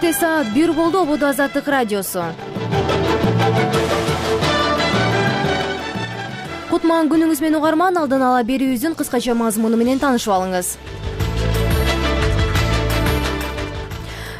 Кечте саат 1 болду. Ободо Азаттык радиосу. Кутман күнүңүз менен угарман, алдын ала берүүбүздүн кыскача мазмуну менен таанышып алыңыз.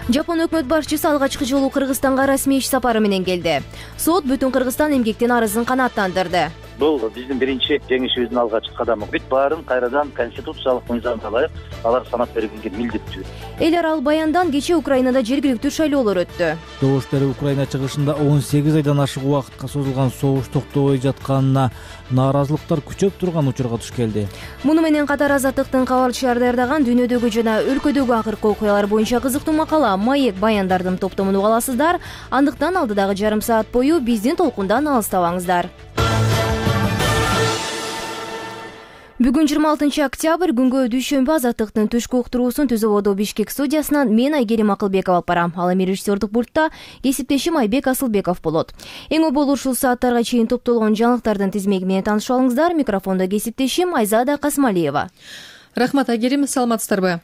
Жапон өкмөт башчысы алгачкы жолу Кыргызстанга расмий иш сапары менен келди. Сот бүтүн Кыргызстан эмгектен арызын канааттандырды. Бул биздин биринчи жеңишибиздин алгачкы кадамы. Бүт баарын кайрадан конституциялык мыйзамга ылайык алар санап бергенге милдеттүү. Эл аралык баяндан кече Украинада жергиликтүү шайлоолор өттү. Добуш берүү Украина чыгышында 18 айдан ашык убакытка созулган согуш токтобой жатканына нааразылыктар күчөп турган учурга туш келди. Муну менен катар Азаттыктын кабарчылары даярдаган дүйнөдөгү жана өлкөдөгү акыркы окуялар боюнча кызыктуу макала «Маек баяндардын топтомун» уга аласыздар. Андыктан алдыдагы жарым саат бою биздин толкундан алыстабаңыздар. Бүгүн 26 октябрь күнгө дүйшөмбү Азаттыктын түшкү уктуруусун Түз Ободо Бишкек студиясынан мен Айгерим Акылбекова алып барам. Ал эми режиссердук пультта кесиптешим Айбек Асылбеков болот. Эң обол ушул сааттарга чейин топтолгон жаңылыктардын тизмеги менен таанышып алыңыздар. Микрофондо кесиптешим Айзада Касмалиева. Рахмат, Айгерим, саламатсыздарбы?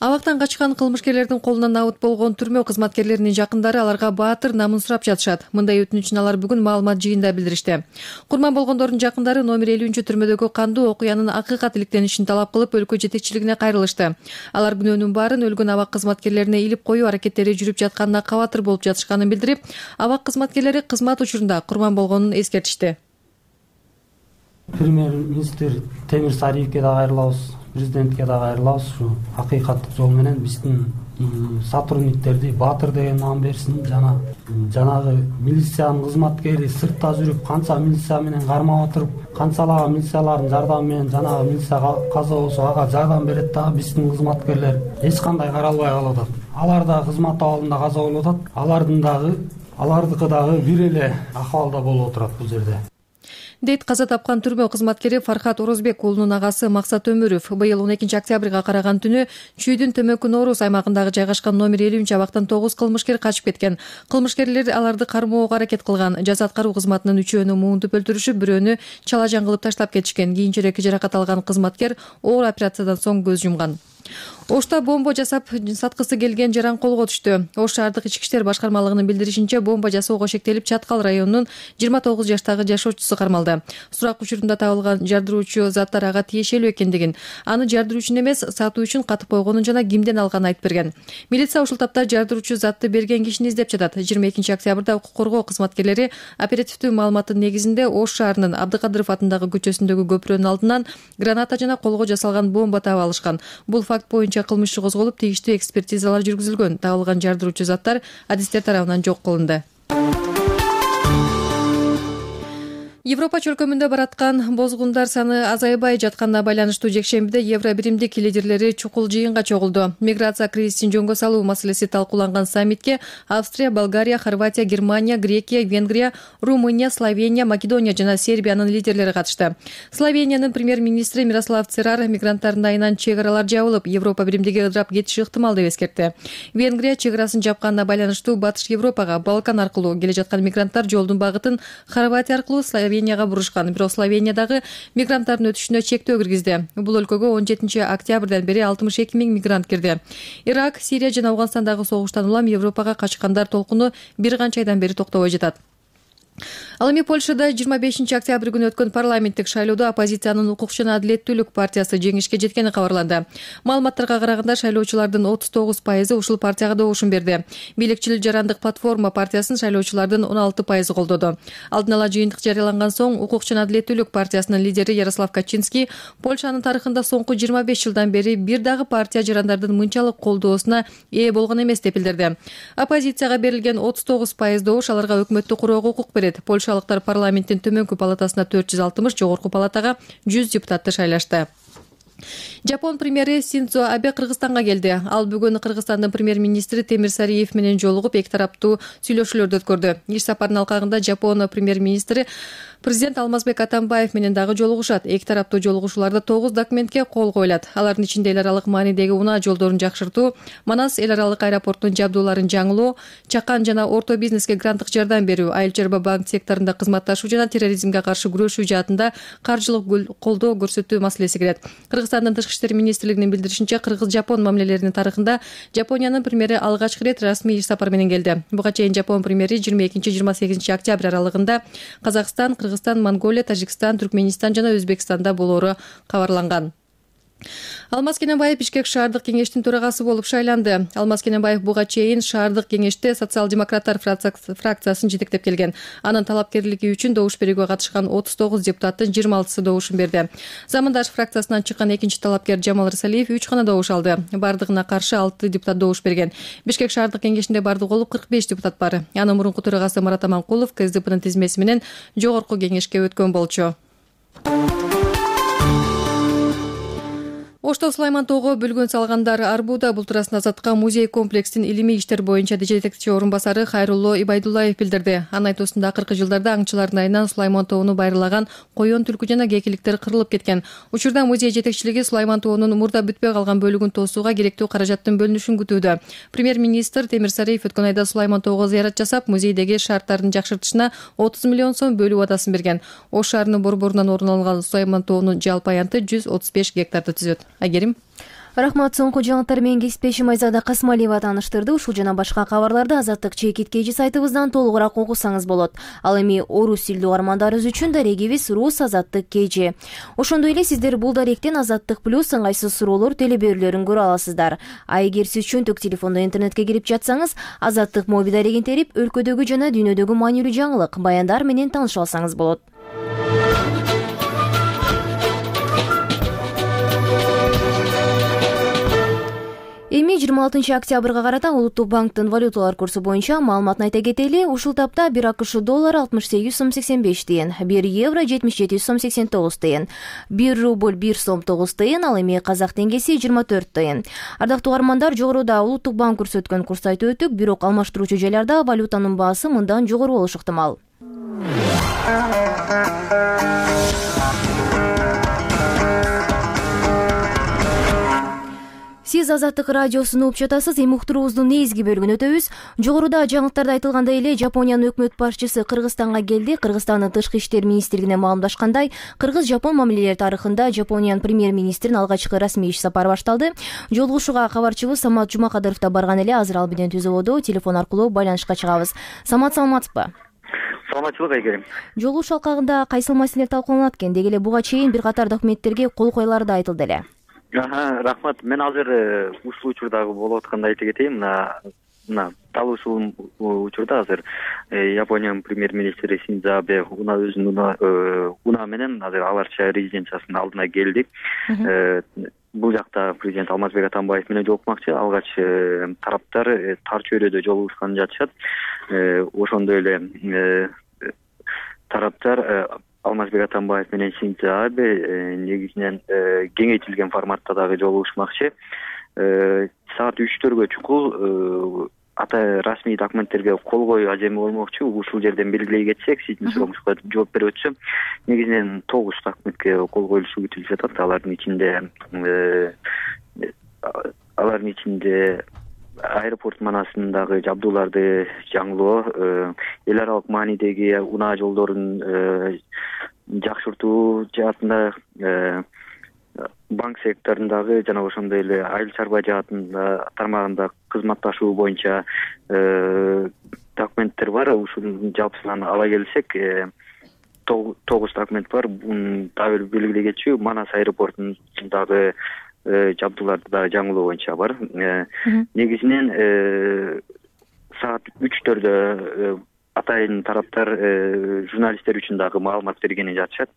Абактан качкан кылмышкерлердин колунан абыт болгон түрмө кызматкерлеринин жакындары аларга баатыр, намын сурап жатышат. Мындай өтүнүчүн алар бүгүн маалымат жыйында билдиришти. Курман болгондордун жакындары номер 50-түрмөдөгү кандуу окуянын акыйкат иликтенишин талап кылып, өлкө жетекчилигине кайрылышты. Алар күнөөнүн баарын өлгөн абак кызматкерлерине илип коюу аракеттери жүрүп жатканына кабатыр болуп жатышканын билдирип, абак кызматкерлери кызмат учурунда курман болгонун эскертишти. Премьер-министр Темир Сариевке да кайрылабыз, президентке да кайрылабыз. Ушу акыйкаттык жол менен биздин сотрудниктерди баатыр деген наам берсин. Жанагы милициянын кызматкери сыртта жүрүп, канча милиция менен кармап отуруп, канчалаган милициялардын жардамы менен жанагы милиция каза болсо ага жардам берет дагы биздин кызматкерлер эч кандай каралбай калып атат. Алар да кызмат абалында каза болуп атат. Алардыкы дагы бир эле акыбалда болуп отурат бул жерде. Дейт каза тапкан түрмө кызматкери Фархат Орозбек уулунун агасы Максат Өмүров. Быйыл 12 октябрга караган түнү Чүйдүн Төмөнкү Нооруз аймагындагы жайгашкан номер 50 абактан 9 кылмышкер качып кеткен. Кылмышкерлер аларды кармоого аракет кылган. Жаза аткаруу кызматынын 3өөнү муунтуп өлтүрүшүп, бирөөнү чалажан кылып таштап кетишкен. Кийинчерээк жаракат алган кызматкер оор операциядан соң көз жумган. Ошто бомба жасап саткысы келген жаран колго түштү. Ош шаардык ички иштер башкармалыгынын билдиришинче, бомба жасоого шектелип Чаткал районунун 29 жаштагы жашоочусу кармалды. Сурак учурунда табылган жардыруучу заттар ага тиешелүү экендигин, аны жардыруу үчүн эмес, сатуу үчүн катып койгонун жана кимден алганын айтып берген. Милиция ушул тапта жардыруучу затты берген кишини издеп жатат. 22 октябрда укук коргоо кызматкерлери оперативдүү маалыматтын негизинде Ош шаарынын Абдыкадыров атындагы көчөсүндөгү көпүрөнүн алдынан граната жана колго жасалган бомба таап алышкан. Бул факт боюнча кылмыш иши козголуп, тийиштүү экспертизалар жүргүзүлгөн. Табылган жардыруучу заттар адистер тарабынан жок кылынды. Европа чөлкөмүндө бараткан бозгундар саны азайбай жатканына байланыштуу жекшембиде Евро биримдик лидерлери чукул жыйынга чогулду. Миграция кризисин жөнгө салуу маселеси талкууланган саммитке Австрия, Болгария, Хорватия, Германия, Грекия, Венгрия, Румыния, Словения, Македония жана Сербиянын лидерлери катышты. Словениянын премьер-министри Мирослав Церар мигранттардын айынан чек аралар жабылып, Европа биримдиги ыдырап кетиши ыктымал деп эскертти. Венгрия чек арасын жапканына байланыштуу Батыш Европага, Балкан аркылуу келе жаткан мигранттар жолдун багытын Хорватия аркылуу Словенияга бурушкан. Бирок Словениядагы мигранттардын өтүшүнө чектөө киргизди. Бул өлкөгө 17 октябрдан бери 62 000 мигрант кирди. Ирак, Сирия жана Афганстандагы согуштан улам Европага качкандар толкуну бир канча айдан бери токтобой жатат. Ал эми Польшада 25 октябрь күнү өткөн парламенттик шайлоодо оппозициянын Укук жана Адилеттүүлүк партиясы жеңишке жеткени кабарланды. Маалыматтарга караганда шайлоочулардын 39% ушул партияга добушун берди. Бийликчил жарандык платформа партиясын шайлоочулардын 16% колдоду. Алдын ала жыйынтык жарыяланган соң Укук жана Адилеттүүлүк партиясынын лидери Ярослав Качинский Польшанын тарыхында соңку 25 жылдан бери бир дагы партия жарандардын мынчалык колдоосуна ээ болгон эмес деп билдирди. Оппозицияга берилген 39% добуш аларга өкмөттү курууга укук берет. Польшалыктар парламенттин төмөнкү палатасына 460, жогорку палатага 100 депутатты шайлашты. Жапон премьери Синдзо Абе Кыргызстанга келди. Ал бүгүн Кыргызстандын премьер-министри Темир Сариев менен жолугуп, эки тараптуу сүйлөшүүлөрдү өткөрдү. Иш сапарынын алкагында Жапон премьер-министри Президент Алмазбек Атамбаев менен дагы жолугушат. Эки тараптуу жолугушууларда 9 документке кол коюлат. Алардын ичинде эл аралык маанидеги унаа жолдорун жакшыртуу, Манас эл аралык аэропортунун жабдууларын жаңылоо, чакан жана орто бизнеске гранттык жардам берүү, айыл чарба банк секторунда кызматташуу жана терроризмге каршы күрөшүү жаатында каржылык колдоо көрсөтүү маселеси кирет. Кыргызстандын тышкы иштер министрлигинин билдиришинче, кыргыз-жапон мамилелеринин тарыхында Жапониянын премьери алгачкы ирет расмий иш сапар менен келди. Буга чейин Жапон премьери 22-28 октябрь аралыгында Казакстан, Кыргызстан, Монголия, Тажикстан, Түркменистан жана Өзбекстанда болоору кабарланган. Алмаз Кененбаев Бишкек шаардык кеңештин төрагасы болуп шайланды. Алмаз Кененбаев буга чейин шаардык кеңеште социал-демократтар фракциясын жетектеп келген. Анын талапкерлиги үчүн добуш берүүгө катышкан 39 депутаттын 26сы добушун берди. Замандаш фракциясынан чыккан экинчи талапкер Жамал Рысалиев 3 гана добуш алды. Бардыгына каршы 6 депутат добуш берген. Бишкек шаардык кеңешинде бардыгы болуп 45 депутат бар. Анын мурунку төрагасы Марат Аманкулов КСДПнын тизмеси менен жогорку кеңешке өткөн болчу. Ошто Сулайман тоого бөлгөн салгандар Арбуда бултурасын азаткан музей комплексин илимий иштер боюнча жетекчи орун басары Хайрулло Ибайдуллаев билдирди. Анын айтуусунда акыркы жылдарда аңчылардын айынан Сулайман тоону байырлаган коён, түлкү жана кекиликтер кырылып кеткен. Учурда музей жетекчилиги Сулайман тоонун мурда бүтпөй калган бөлүгүн тосууга керектүү каражаттын бөлүнүшүн күтүүдө. Премьер-министр Темир Сариев өткөн айда Сулайман тоого зыярат жасап, музейдеги шарттардын жакшыртышына 30 миллион сом бөлүү убадасын берген. Ош шаарынын борборунан орун алган Сулайман тоонун жалпы аянты 135 гектарды түзөт. Айгерим. Рахмат. Соңку жаңылыктар менен кесиптешим Айзада Касмалиева тааныштырды. Ушул жана башка кабарларды Азаттык чекит кежи сайтыбыздан толугураак окусаңыз болот. Ал эми орус тилдүү угармандарыбыз үчүн дарегибиз Рус Азаттык кежи. Ошондой эле сиздер бул даректен Азаттык плюс ыңгайсыз суроолор телеберүүлөрүн көрө аласыздар. А эгер сиз чөнтөк телефондо интернетке кирип жатсаңыз, Азаттык мобил дарегин терип, өлкөдөгү жана дүйнөдөгү маанилүү жаңылык, баяндар менен тааныша алсаңыз болот. Эми 26 октябрга карата Улуттук банктын валюталар курсу боюнча маалыматын айта кетели. Ушул тапта 1 АКШ доллары 68 сом 85 тыйын, 1 евро 77 сом 89 тыйын, 1 рубль 1 сом 9 тыйын, ал эми казак теңгеси 24 тыйын. Ардактуу угармандар, жогоруда Улуттук банк көрсөткөн курсту айтып өттүк, бирок алмаштыруучу жайларда валютанын баасы мындан жогору болушу ыктымал. Сиз Азаттык радиосун угуп жатасыз. Эми уктуруубуздун негизги бөлүгүн өтөбүз. Жогоруда жаңылыктарда айтылгандай эле Жапониянын өкмөт башчысы Кыргызстанга келди. Кыргызстандын тышкы иштер министрлигине маалымдашкандай, кыргыз-жапон мамилелери тарыхында Жапониянын премьер-министринин алгачкы расмий иш сапары башталды. Жолугушууга кабарчыбыз Самат Жумакадыров да барган эле. Азыр ал менен түзөбодо телефон аркылуу байланышка чыгабыз. Самат, саламатсызбы? Саламатчылык, Айгерим. Жолугушуу алкагында кайсыл маселелер талкууланат экен? Деги эле буга чейин бир катар документтерге кол коюлары да айтылды эле. Рахмат. Мен азыр ушул учурдагы болуп атканды айта кетейин. Мына дал ушул учурда азыр Япониянын премьер-министри Синдзо Абе өзүнүн унаа менен азыр аларча резиденциясынын алдына келдик. Бул жакта президент Алмазбек Атамбаев менен жолукмакчы. Алгач тараптар тар чөйрөдө жолугушкан жатышат. Ошондой эле тараптар Алмазбек Атамбаев менен Синдзо Абе негизинен кеңейтилген форматта дагы жолугушмакчы. Саат 3-төргө чукул расмий документтерге кол коюу ажеми болмокчу. Ушул жерден белгилей кетсек, сиздин сурооңузга жооп берип өтсөм, негизинен 9 документке кол коюлушу күтүлүп жатат. Алардын ичинде аэропорт манасындагы жабдууларды жаңылоо, эл аралык маанидеги унаа жолдорун жакшыртуу жаатында, банк секторундагы жана ошондой эле айыл чарба жаатында тармагында кызматташуу боюнча документтер бар. Ушунун жалпысынан ала келсек, 9 документ бар. Дагы белгилей кетчү, Манас аэропортундагы жабдууларды да жаңылоо боюнча бар. Негизинен саат 3-төрдө атайын тараптар журналисттер үчүн дагы маалымат бергени жатышат.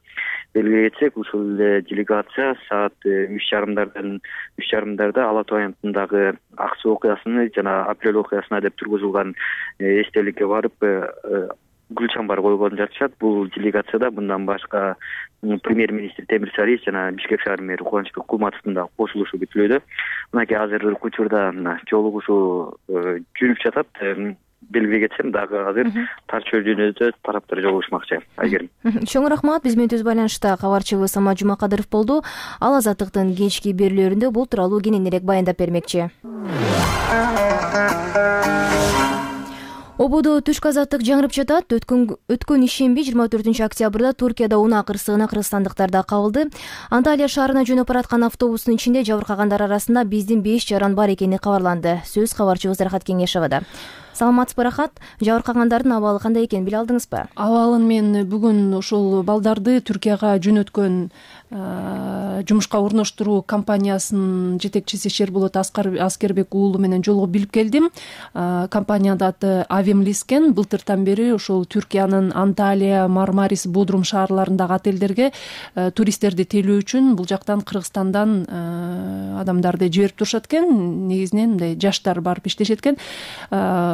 Белгилей кетсек, ушул делегация саат 3:30 Ала Тоо аянтындагы ак суу окуясыны жана апрель окуясына деп тургузулган эстеликке барып гүл чамбар койгон жатышат. Бул делегацияда мындан башка премьер-министр Темир Сариев жана Бишкек шаар мэри Кубанычбек Кулматовдун да кошулушу күтүлүүдө. Мынакей азыр учурда жолугушуу жүрүп жатат. Белгилей кетсем, дагы азыр тар чөйрөдө тараптар жолугушмакчы. Айгерим. Чоң рахмат. Биз менен түз байланышта кабарчыбыз Самат Жумакадыров болду. Ал Азаттыктын кечки берүүлөрүндө бул тууралуу кененирээк баяндап бермекчи. Ободо түшкү азаттык жаңырып жатат. Өткөн ишемби 24 октябрда Туркияда унаа кырсыгына кыргызстандыктарда кабылды. Анталия шаарына жөнөп бараткан автобустун ичинде жабыркагандар арасында биздин 5 жаран бар экени кабарланды. Сөз кабарчыбыз Рахат Кеңешевада. Саламатсызбы Рахат? Жабыркагандардын абалы кандай экенин биле алдыңызбы? Абалын мен бүгүн ушул балдарды Түркияга жөнөткөн жумушка орноштуруу компаниясынын жетекчиси Шерболот Аскербек уулу менен жолугуп билип келдим. Компаниянын аты Авемлис экен. Былтыртан бери ушул Түркиянын Анталия, Мармарис, Бодрум шаарларындагы отелдерге туристтерди тейлөө үчүн бул жактан Кыргызстандан адамдарды жиберип турушат экен. Негизинен мындай жаштар барып иштешет экен.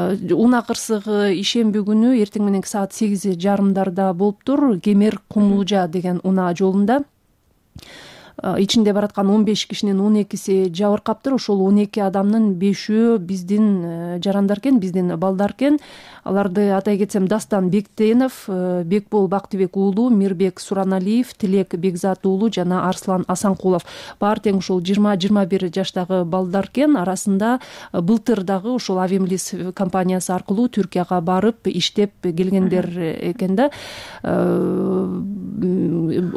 Унаа кырсыгы ишемби күнү эртең мененки саат 8:30 болуптур. Кемер Кумулжа деген унаа жолунда. Ичинде бараткан 15 кишинин 12си жабыркаптыр. Ошол 12 адамдын 5-өө биздин жарандар экен, биздин балдар экен. Аларды атай кетсем: Дастан Бектенов, Бекбол Бактыбек уулу, Мирбек Сураналиев, Тилек Бекзат уулу жана Арслан Асанкулов. Баары тең ушул 20-21 жаштагы балдар экен. Арасында былтыр дагы ушул Авемлис компаниясы аркылуу Түркияга барып иштеп келгендер экен да.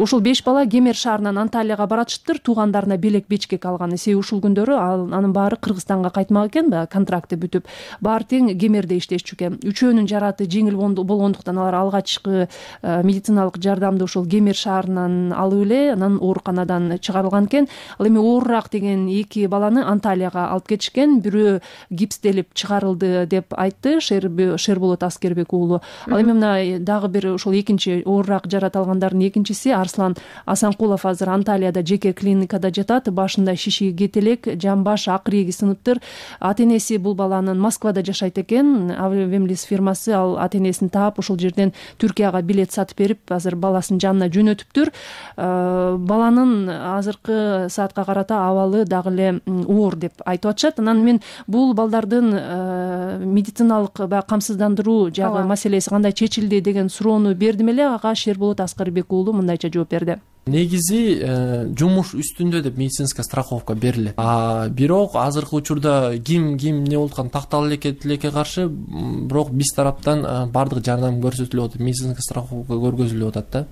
Ушул 5 бала Кемер шаарынан Анталияга баратыштыр. Туугандарына белек бечкек алган. Себеби ушул күндөрү анын баары Кыргызстанга кайтмак экен, контракты бүтүп. Баары тең Кемерде иштешчү экен. Үчөөнүн жараты жеңил болгондуктан алар алгачкы медициналык жардамды ушул Кемер шаарынан алып эле анан ооруканадан чыгарылган экен. Ал эми оорураак деген 2 баланы Анталияга алып кетишкен. Бирөө гипстелип чыгарылды деп айтты Шерболот Аскербек уулу. Ал эми мына дагы бир ушул экинчи оорураак жарат алгандардын экинчиси Арслан Асанкулов азыр Анталияда жеке клиникада жатат. Башында шиши кетелек, жамбаш, акыреги сыныптыр. Ата-энеси бул баланын Москвада жашайт экен. Авемлис фирмасы ал ата-энесин таап ушул жерден Түркияга билет сатып берип, азыр баласын жанына жөнөтүптүр. Баланын азыркы саатка карата абалы дагы эле оор деп айтып атышат. Анан мен бул балдардын медициналык камсыздандыруу жагы маселеси кандай чечилди деген суроону бердим эле. Ага Шерболот Аскербек уулу мындайча жооп берди. Негизи жумуш үстүндө деп медицинская страховка берилет. Бирок азыркы учурда ким эмне болуп аткан тактала элекке каршы, бирок биз тараптан бардык жардам көрсөтүлүп атат, медицинская страховка көргөзүлүп атат да.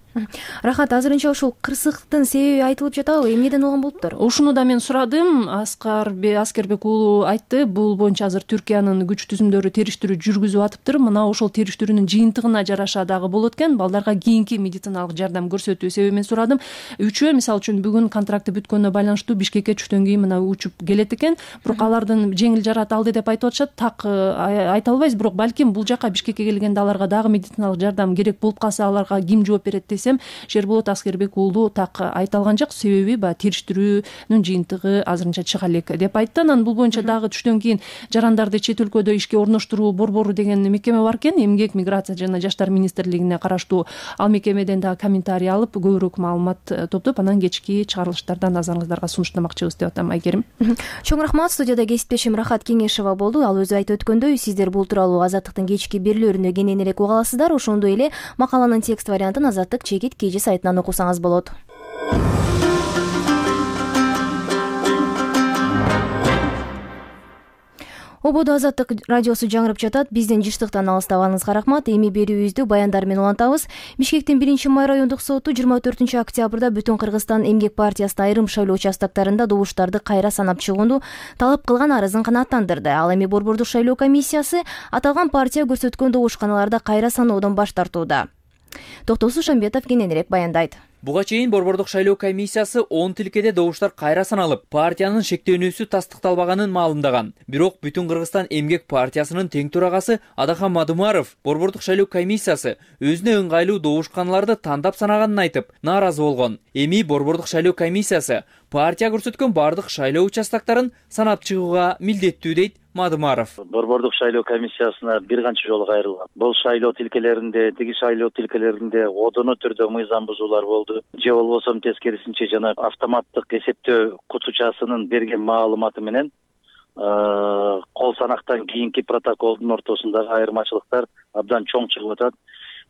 Рахат, азырынча ушул кырсыктын себеби айтылып жатабы? Эмнеден болгон болуптур? Ушуну да мен сурадым. Аскербек уулу айтты. Бул боюнча азыр Түркиянын күч түзүмдөрү териштирүү жүргүзүп атыптыр. Мына ошол териштирүүнүн жыйынтыгына жараша дагы болот экен. Балдарга кийинки медициналык жардам көрсөтүү себебин мен сурадым. Үчөө мисалы үчүн бүгүн контракты бүткөнүнө байланыштуу Бишкекке түштөн кийин мына учуп келет экен. Бирок алардын жеңил жарат алды деп айтып атышат. Так айта албайбыз, бирок балким бул жака Бишкекке келгенде аларга дагы медициналык жардам керек болуп калса, аларга ким жооп берет десем, Шерболот Аскербек уулу так айта алган жок. Себеби териштирүүнүн жыйынтыгы азырынча чыга элек деп айтты. Анан бул боюнча дагы түштөн кийин жарандарды чет өлкөдө ишке орноштуруу борбору деген мекеме бар экен. Эмгек, миграция жана жаштар министрлигине караштуу. Ал мекемеден дагы комментарий алып, көбүрөөк маалымат топтоп, анан кечки чыгарылыштардан назарыңыздарга сунуштамакчыбыз деп атам, Айгерим. Чоң рахмат. Студияда кесиптешим Рахат Кеңешева болду. Ал өзү айтып өткөндөй, сиздер бул тууралуу Азаттыктын кечки берүүлөрүндө кененирээк уга аласыздар. Ошондой эле макаланын текст вариантын Азаттык чекит KG сайтынан окусаңыз болот. Ободо Азаттык радиосу жаңырып жатат. Биздин жыштыктан алыстабаңызга рахмат. Эми берүүбүздү баяндар менен улантабыз. Бишкектин 1-май райондук соту 24 октябрда Бүтүн Кыргызстан эмгек партиясынын айрым шайлоо участоктарында добуштарды кайра санап чыгууну талап кылган арызын канааттандырды. Ал эми Борбордук шайлоо комиссиясы аталган партия көрсөткөн добушканаларды кайра саноодон баш тартууда. Токтосуз Шамбетов кененирээк баяндайт. Буга чейин Борбордук шайлоо комиссиясы 10 тилкеде добуштар кайра саналып, партиянын шектөөнүүсү тастыкталбаганын маалымдаган. Бирок Бүтүн Кыргызстан эмгек партиясынын тең төрагасы Адахан Мадумаров Борбордук шайлоо комиссиясы өзүнө ыңгайлуу добушканаларды тандап санаганын айтып, нааразы болгон. Эми Борбордук шайлоо комиссиясы партия көрсөткөн бардык шайлоо участоктарын санап чыгууга милдеттүү дейт Мадумаров. Борбордук шайлоо комиссиясына бир канча жолу кайрылган. Бул шайлоо тилкелеринде, тиги шайлоо тилкелеринде одоно түрдө мыйзам бузуулар болду. Же болбосо тескерисинче жана автоматтык эсептөө кутучасынын берген маалыматы менен кол санактан кийинки протоколдун ортосундагы айырмачылыктар абдан чоң чыгып атат.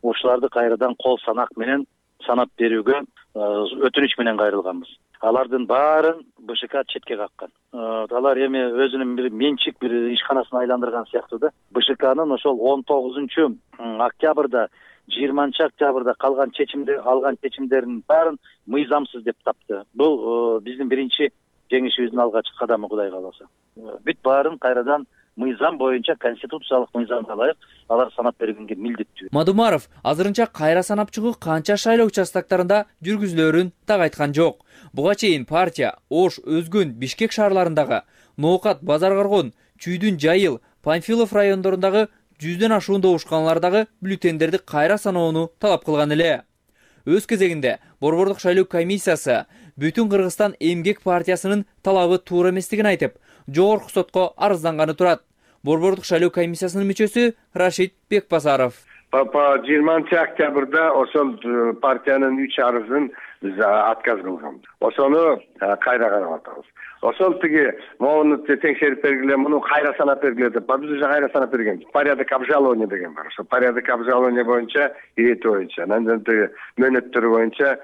Ушуларды кайрадан кол санак менен санап берүүгө өтүнүч менен кайрылганбыз. алардын баарын БШК четке каккан. Алар эми өзүнүн бир менчик бир ишканасын айландырган сыяктуу да. БШКнын ошол 19 октябрда 20 октябрда алган чечимдерин баарын мыйзамсыз деп тапты. Бул биздин биринчи жеңишибиздин алгачкы кадамы, Кудай кааласа. Бүт баарын кайрадан мыйзам боюнча, конституциялык мыйзамга ылайык алар санап бергенге милдеттүү. Мадумаров азырынча кайра санап чыгуу канча шайлоо участоктарында жүргүзүлөрүн так айткан жок. Буга чейин партия Ош, Өзгөн, Бишкек шаарларындагы, Ноокат, Базар Коргон, Чүйдүн, Жайыл, Панфилов райондорундагы 100дөн ашуун добушканалардагы бюллетендерди кайра саноону талап кылган эле. Өз кезегинде Борбордук шайлоо комиссиясы Бүтүн Кыргызстан эмгек партиясынын талабы туура эместигин айтып, жогорку сотко арызданганы турат. Борбордук шайлоо комиссиясынын мүчөсү Рашид Бекбазаров. По 20 октябрда ошол партиянын 3 арызын биз отказ кылганбыз. Ошону кайра карап атабыз. Ошол тиги могуну текшерип бергиле, муну кайра санап бергиле деп, биз уже кайра санап бергенбиз. Порядок обжалования деген бар. Ошо порядок обжалования боюнча, ирети боюнча, андан тиги мөөнөттөрү боюнча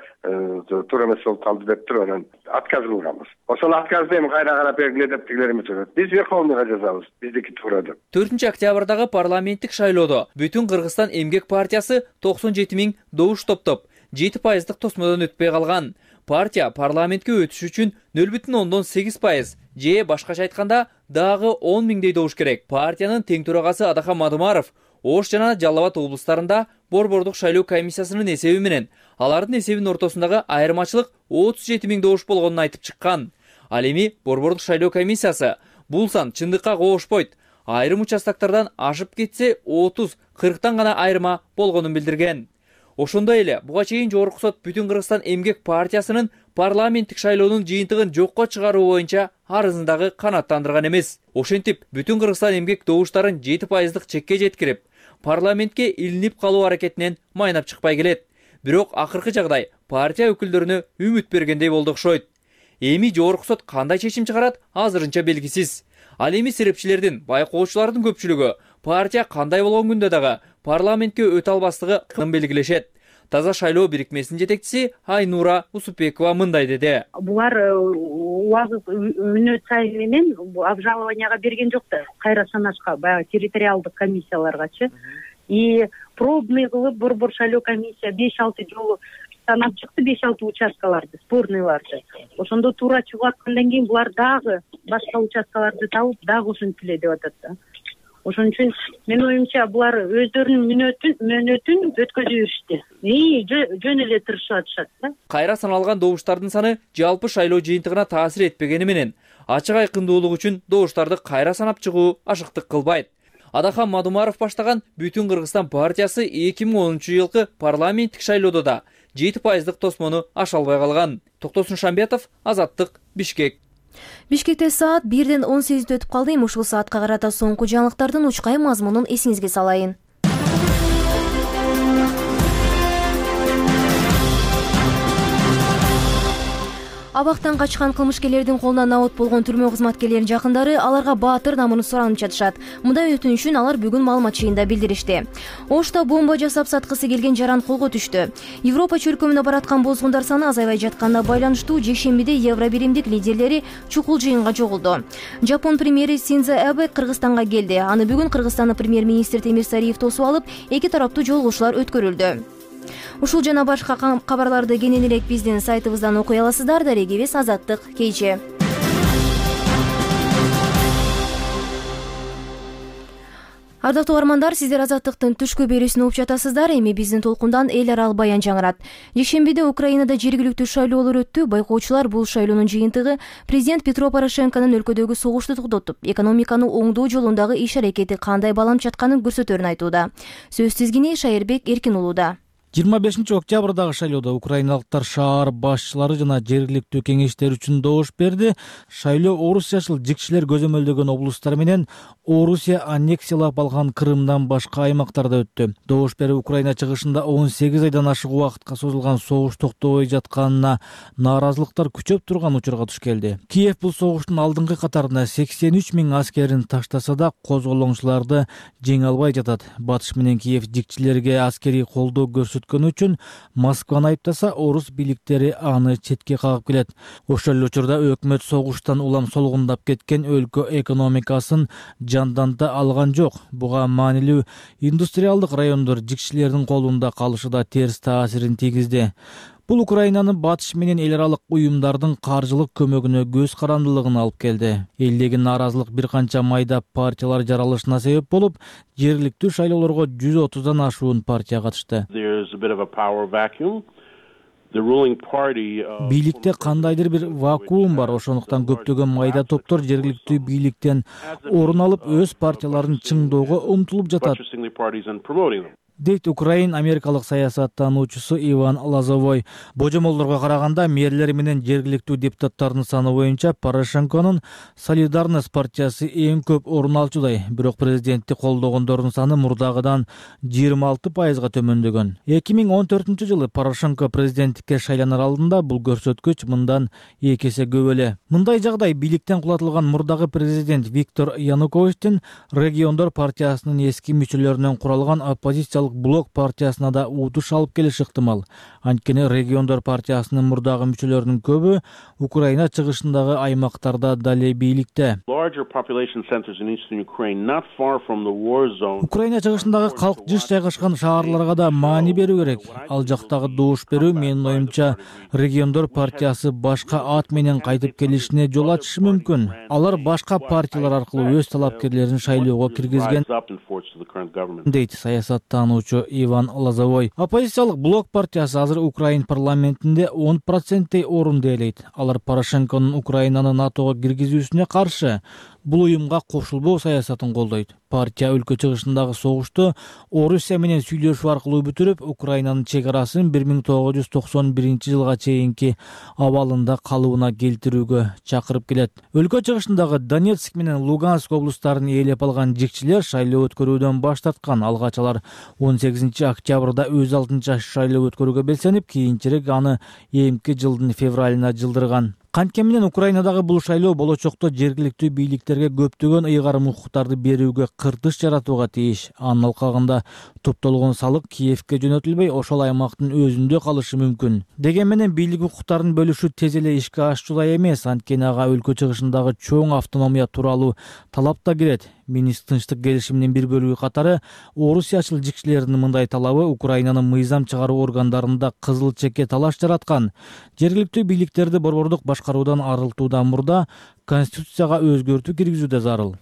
туура эмес болуп калды деп туруп, анан отказ кылганбыз. Ошол отказды эми кайра карап бергиле деп тигилер эмес. Биз Верховныйга жазабыз. Биздики туура деп. 4 октябрдагы парламенттик шайлоодо Бүтүн Кыргызстан эмгек партиясы 97 000 добуш топтоп, 7% тосмодон өтпөй калган. Партия парламентке өтүш үчүн 0,8% же башкача айтканда дагы 10 000 добуш керек. Партиянын тең төрагасы Адахан Мадумаров Ош жана Жалал Абад облустарында Борбордук шайлоо комиссиясынын эсеби менен алардын эсебинин ортосундагы айырмачылык 37 000 добуш болгонун айтып чыккан. Ал эми Борбордук шайлоо комиссиясы бул сан чындыкка коошпойт. Айрым участоктардан ашып кетсе 30-40тан гана айырма болгонун билдирген. Ошондой эле буга чейин жогорку сот Бүтүн Кыргызстан эмгек партиясынын парламенттик шайлоонун жыйынтыгын жокко чыгаруу боюнча арызындагы канааттандырган эмес. Ошентип, Бүтүн Кыргызстан эмгек добуштарын 7% чекке жеткирип, парламентке илинип калуу аракетинен майнап чыкпай келет. Бирок акыркы жагдай партия өкүлдөрүнө үмүт бергендей болду окшойт. Эми жогорку сот кандай чечим чыгарат, азырынча белгисиз. Ал эми серепчилердин, байкоочулардын көпчүлүгү партия кандай болгон күндө дагы парламентке өтө албастыгын белгилешет. Таза шайлоо бирикмесинин жетекчиси Айнура Усупбекова мындай деди. Булар убагы мүнөт сайын менен обжалованияга берген жок да, кайра санашка, баягы территориалдык комиссияларгачы. И пробный кылып Борбор шайлоо комиссия 5-6 жолу санап чыкты, 5-6 участкаларды, спорныйларды. Ошондо туура чыгып аткандан кийин булар дагы башка участкаларды табып, дагы ушинтип эле деп атат да. Ошон үчүн менин оюмча булар өздөрүнүн мөөнөтүн өткөзүп беришти. Жөн эле тырышып атышат да. Кайра саналган добуштардын саны жалпы шайлоо жыйынтыгына таасир этпегени менен ачык айкындуулук үчүн добуштарды кайра санап чыгуу ашыктык кылбайт. Адахан Мадумаров баштаган Бүтүн Кыргызстан партиясы 2010-жылкы парламенттик шайлоодо да 7% тосмону аша албай калган. Токтосун Шамбетов, Азаттык, Бишкек. Бишкекте саат 1:18 өтүп калды. Ушул саатка карата соңку жаңылыктардын учкай мазмунун эсиңизге салайын. Абактан качкан кылмышкерлердин колуна набут болгон түрмө кызматкерлеринин жакындары аларга баатыр намын суранып жатышат. Мындай өтүнүшүн алар бүгүн маалымат жыйынында билдиришти. Ошто бомба жасап саткысы келген жаран колго түштү. Европа чөлкөмүнө бараткан бозгундар саны азайбай жатканына байланыштуу жекшембиде Евро биримдик лидерлери чукул жыйынга чогулду. Жапон премьери Синдзо Абе Кыргызстанга келди. Аны бүгүн Кыргызстандын премьер-министри Темир Сариев тосуп алып, эки тараптуу жолугушуулар өткөрүлдү. Ушул жана башка кабарларды кененирээк биздин сайтыбыздан окуй аласыздар. Дарегибиз Азаттык, кече. Ардактуу угармандар, сиздер Азаттыктын түшкү берүүсүн угуп жатасыздар. Эми биздин толкундан эл аралык баян жаңырат. Жекшембиде Украинада жергиликтүү шайлоолор өттү. Байкоочулар бул шайлоонун жыйынтыгы президент Петро Порошенконун өлкөдөгү согушту токтотуп, экономиканы оңдоо жолундагы иш-аракети кандай баланып жатканын көрсөтөрүн айтууда. Сөз тизгини Шайырбек Эркин уулуда. 25 октябрдагы шайлоодо украиналыктар шаар башчылары жана жергиликтүү кеңештер үчүн добуш берди. Шайлоо орус жашыл жикчилер көзөмөлдөгөн облустар менен Орусия аннексиялап алган Крымдан башка аймактарда өттү. Добуш берүү Украина чыгышында 18 айдан ашык убакытка созулган согуш токтобой жатканына нааразылыктар күчөп турган учурга туш келди. Киев бул согуштун алдыңкы катарына 83 000 аскерин таштаса да козголоңчуларды жеңе албай жатат. Батыш менен Киев жикчилерге аскерий колдоо көрсөтүп көрсөткөнү үчүн Москваны айыптаса, орус бийликтери аны четке кагып келет. Ошол эле учурда өкмөт согуштан улам солгундап кеткен өлкө экономикасын жанданта алган жок. Буга маанилүү индустриалдык райондор жикчилердин колунда калышы да терс таасирин тийгизди. Бул Украинанын батыш менен эл аралык уюмдардын каржылык көмөгүнө көз карандылыгын алып келди. Элдеги нааразылык бир канча майда партиялар жаралышына себеп болуп, жергиликтүү шайлоолорго 130дан ашуун партия катышты. Бийликте кандайдыр бир вакуум бар, ошондуктан көптөгөн майда топтор жергиликтүү бийликтен орун алып, өз партияларын чыңдоого умтулуп жатат, дейт Украин америкалык саясаттануучусу Иван Лозовой. Божомолдорго караганда мэрлер менен жергиликтүү депутаттардын саны боюнча Порошенконун Солидарность партиясы эң көп орун алчудай. Бирок президентти колдогондордун саны мурдагыдан 26%га төмөндөгөн. 2014-жылы Порошенко президенттикке шайланар алдында бул көрсөткүч мындан 2 эсе көп эле. Мындай жагдай бийликтен кулатылган мурдагы президент Виктор Януковичтин региондор партиясынын эски мүчөлөрүнөн куралган оппозициялык блок партиясына да утуш алып келиши ыктымал. Анткени региондор партиясынын мурдагы мүчөлөрүнүн көбү Украина чыгышындагы аймактарда дале бийликте. Украина чыгышындагы калк жыш жайгашкан шаарларга да маани берүү керек. Ал жактагы добуш берүү, менин оюмча, региондор партиясы башка ат менен кайтып келишине жол ачышы мүмкүн. Алар башка партиялар аркылуу өз талапкерлерин шайлоого киргизген, дейт саясаттануучу Иван Лозовой. Оппозициялык блок партиясы азыр Украин парламентинде 10% орун ээлейт. Алар Порошенконун Украинаны НАТОго киргизүүсүнө каршы, бул уюмга кошулбоо саясатын колдойт. Партия өлкө чыгышындагы согушту Орусия менен сүйлөшүү аркылуу бүтүрүп, Украинанын чек арасын 1991-жылга чейинки абалында калыбына келтирүүгө чакырып келет. Өлкө чыгышындагы Донецк менен Луганск облустарын ээлеп алган жикчилер шайлоо өткөрүүдөн баш тарткан. Алгач алар 18-октябрда өз алдынча шайлоо өткөрүүгө белсенип, кийинчерээк аны эмки жылдын февралына жылдырган. Кантке менен Украинадагы бул шайлоо болочокто жергиликтүү бийликтерге көптөгөн ыйгарым укуктарды берүүгө кыртыш жаратууга тийиш. Анын алкагында топтолгон салык Киевке жөнөтүлбөй, ошол аймактын өзүндө калышы мүмкүн. Дегени менен бийлик укуктарын бөлүшүү тез эле ишке ашчулай эмес, анткени ага өлкө чыгышындагы чоң автономия тууралуу талап да кирет. Минск тынчтык келишиминин бир бөлүгү катары орусиячыл жикчилердин мындай талабы Украинанын мыйзам чыгаруу органдарында кызыл чекке талаш жараткан. Жергиликтүү бийликтерди борбордук башкаруудан арылтуудан мурда конституцияга өзгөртүү киргизүү да зарыл.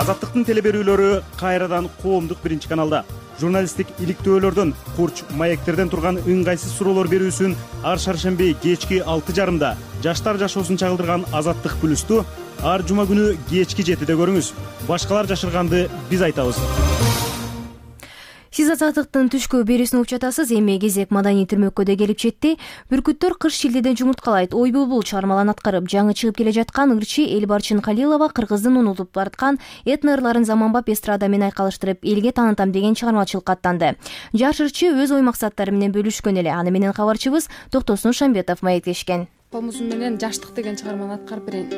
Азаттыктын телеберүүлөрү кайрадан коомдук биринчи каналда. Журналисттик иликтөөлөрдөн, курч маектерден турган ыңгайсыз суроолор берүүсүн ар шаршемби кечки 6:30 жаштар жашоосун чагылдырган Азаттык плюсту ар жума күнү кечки 7-де көрүңүз. Башкалар жашырганды биз айтабыз. Сиз Азаттыктын түшкү берүүсүн угуп жатасыз. Эми кезек маданий түрмөккө келип жетти. Бүркүттөр кыш шилдеден жумурткалайт. Ой булбул чармаларын аткарып, жаңы чыгып келе жаткан ырчы Элбарчын Калилова кыргыздын унутуп бараткан этно ырларын заманбап эстрада менен айкалыштырып, элге таанытам деген чыгармачылыкка аттанды. Жаш ырчы өз ой максаттары менен бөлүшкөн эле. Аны менен кабарчыбыз Токтосун Шамбетов маектешкен. Комузум менен жаштык деген чыгарманы аткарып берейин.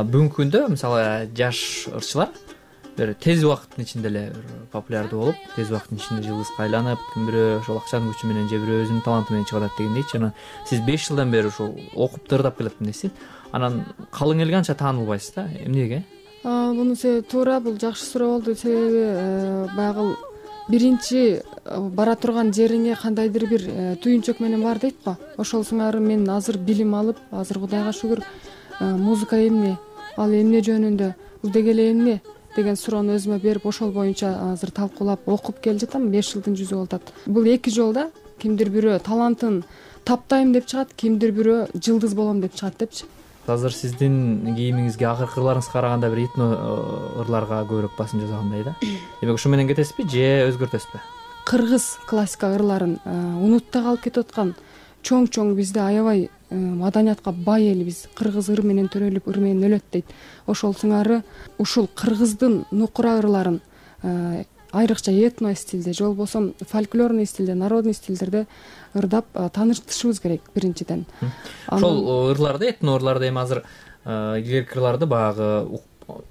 Бүгүнкү күндө мисалы жаш ырчылар бир тез убакыттын ичинде эле популярдуу болуп, тез убакыттын ичинде жылдызга айланып, ким бирөө ошол акчанын күчү менен же бирөө өзүнүн таланты менен чыгып атат дегендейчи. Анан сиз 5 жылдан бери ошол окуп дырдап келатмын дейсиз. Анан калың элге анча таанылбайсыз да. Эмнеге? Бунун себеби туура, бул жакшы суроо болду. Себеби баягы биринчи бара турган жериңе кандайдыр бир түйүнчөк менен бар дейт го. Ошол сыңары мен азыр билим алып, азыр Кудайга шүгүр музыка эмне, ал эмне жөнүндө, удегеле эмне деген суроону өзүмө берип, ошол боюнча азыр талкуулап окуп келе жатам. 5 жылдын жүзү болуп атат. Бул 2 жолда кимдир бирөө талантын таптайм деп чыгат, кимдир бирөө жылдыз болом деп чыгат депчи. Азыр сиздин кийимиңизге, акыркы ырларыңызга караганда бир этно ырларга көбүрөөк басым жасагандай да. Демек ушу менен кетесизби же өзгөртөсүзбү? Кыргыз классика ырларын унутта калып кетип аткан чоң бизде аябай маданиятка бай элбиз. Кыргыз ыр менен төрөлүп, ыр менен өлөт дейт. Ошол сыңары ушул кыргыздын нукура ырларын айрыкча этно стилде же болбосо фольклорный стилде, народный стилдерде ырдап таанышышыбыз керек биринчиден. Ошол ырларды, этно ырларды эми азыр илгерки ырларды баягы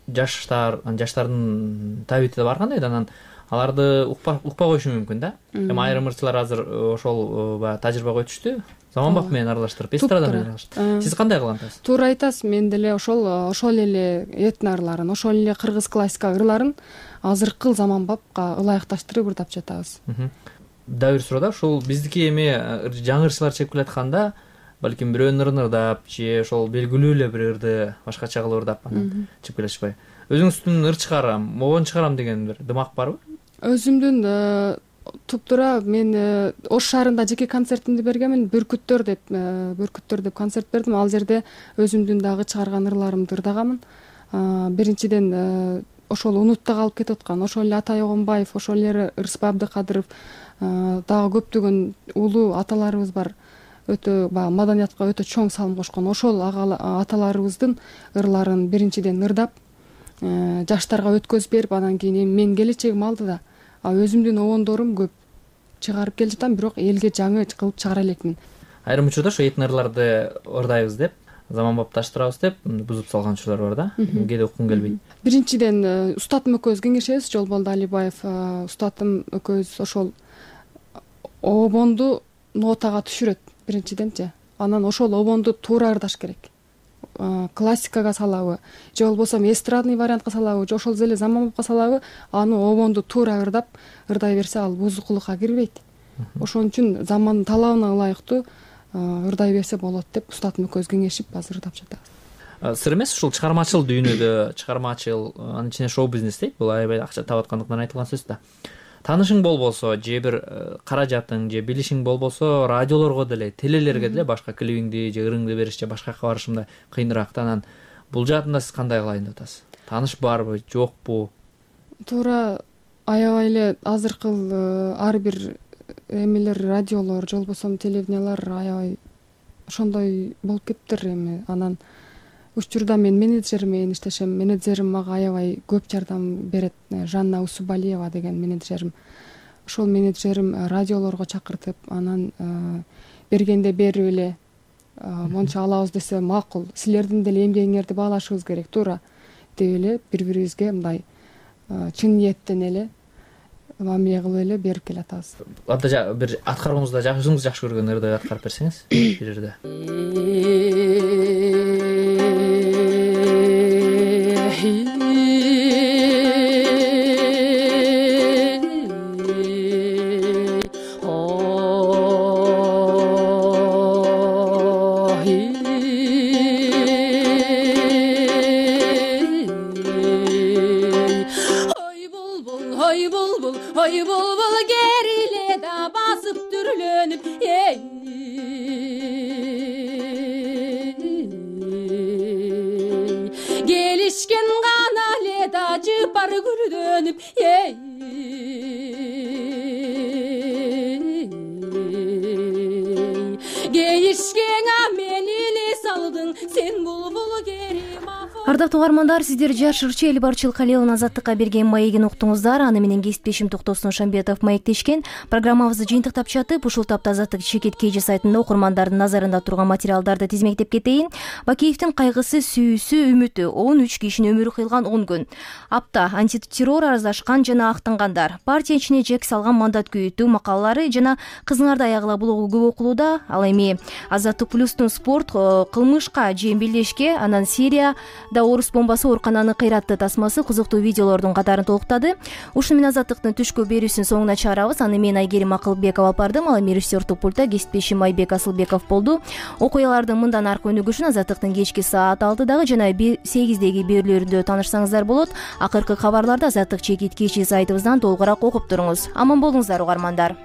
жаштардын табити да бар кандай да, анан аларды укпай коюшу мүмкүн да. Эми айрым ырчылар азыр ошол баягы тажрыйбага өтүштү. Заманбап менен аралаштырып, эстрада менен аралаштырып. Сиз кандай кылган атасыз? Туура айтасыз. Мен деле ошол эле этно ырларын, ошол эле кыргыз классика ырларын азыркы заманбапка ылайыкташтырып ырдап жатабыз. Дагы бир суроо да, ушул биздики эми жаңы ырчылар чегип келатканда, балким бирөөнүн ырын ырдап же ошол белгилүү эле бир ырды башкача кылып ырдап анан чыгып келишпай. Өзүңүздүн ыр чыгарам, могон чыгарам деген бир дымак барбы? Өзүмдүн туптуура мен Ош шаарында жеке концертимди бергенмин. Бүркүттөр деп концерт бердим. Ал жерде өзүмдүн дагы чыгарган ырларымды ырдаганмын. Биринчиден ошол унутта калып кетип аткан, ошол эле Атай Огонбаев, ошол эле Ырысбай Абдыкадыров, дагы көптөгөн улуу аталарыбыз бар. Өтө маданиятка өтө чоң салым кошкон. Ошол аталарыбыздын ырларын биринчиден ырдап, жаштарга өткөзүп берип, анан кийин мен келечегим алдыда. Өзүмдүн обондорум көп чыгарып келе жатам, бирок элге жаңы кылып чыгара элекмин. Айрым учурда ошо этно ырларды ырдайбыз деп, заманбапташтырабыз деп бузуп салган учурлар бар да. Кээде уккум келбейт. Биринчиден устатым экөөбүз кеңешебиз, Жолболду Алибаев устатым экөөбүз ошол обонду нотага түшүрөт биринчиденчи. Анан ошол обонду туура ырдаш керек. Классикага салабы же болбосо эстрадный вариантка салабы же ошол эле заманбапка салабы, аны обонду туура ырдай берсе, ал бузукулукка кирбейт. Ошон үчүн замандын талабына ылайыктуу ырдай берсе болот деп устатым экөөбүз кеңешип азыр ырдап жатабыз. Сыр эмес, ушул чыгармачыл дүйнөдө, чыгармачыл, анын ичинде шоу бизнес дейт, бул аябай акча таап аткандыктан айтылган сөз да. Таанышың болбосо же бир каражатың же билишиң болбосо, радиолорго деле, телелерге деле башка клибиңди же ырыңды бериш же башка жака барыш мындай кыйыныраак да. Анан бул жаатында сиз кандай кылайын деп атасыз? Тааныш барбы, жокпу? Туура аябай эле азыркы ар бир эмелер, радиолор же болбосо телевидениялар аябай ошондой болуп кетиптир эми. Анан учурда мен менеджер менен иштешем. Менеджерим мага аябай көп жардам берет. Жанна Усубалиева деген менеджерим. Ошол менеджерим радиолорго чакыртып, анан бергенде берип эле, монча алабыз десе макул, силердин деле эмгегиңерди баалашыбыз керек, туура деп эле бири-бирибизге мындай чын ниеттен эле мамиле кылып эле берип келатабыз. Анда бир аткарууңузда өзүңүз жакшы көргөн ырды аткарып берсеңиз бир жерде. Ой булбул кериле да басып түрлөнүп, келишкен гана эле да жыпар гүлдөнүп, кейишкеңа мен эле салдың сен булбул кери. Ардактуу угармандар, сиздер жаш ырчы Элбарчыл Калиловдун Азаттыкка берген маегин уктуңуздар. Аны менен кесиптешим Токтосун Шамбетов маектешкен. Программабызды жыйынтыктап чатып, ушул тапта Азаттык Чекит KG сайтында окурмандардын назарында турган материалдарды тизмектеп кетейин. Бакиевдин кайгысы, сүйүүсү, үмүтү, 13 кишинин өмүрү кыйылган 10 күн. Апта антитеррор араздашкан жана актангандар, партия ичине жек салган мандат күйүтүү макалалары жана кызыңарды аягыла блогу көп окулууда. Ал эми Азаттык Плюстун спорт, кылмышка же эмбелешке, анан Сирияда Алматыда орус бомбасы оорукананы кыйратты тасмасы кызыктуу видеолордун катарын толуктады. Ушуну менен Азаттыктын түшкү берүүсүн соңуна чыгарабыз. Аны мен Айгерим Акылбекова алып бардым. Ал эми режиссердук пультта кесиптешим Айбек Асылбеков болду. Окуялардын мындан аркы өнүгүшүн Азаттыктын кечки саат 6-дагы жана 8-деги берүүлөрүндө таанышсаңыздар болот. Акыркы кабарларды Азаттык чекит кечи сайтыбыздан толугураак окуп туруңуз. Аман болуңуздар угармандар.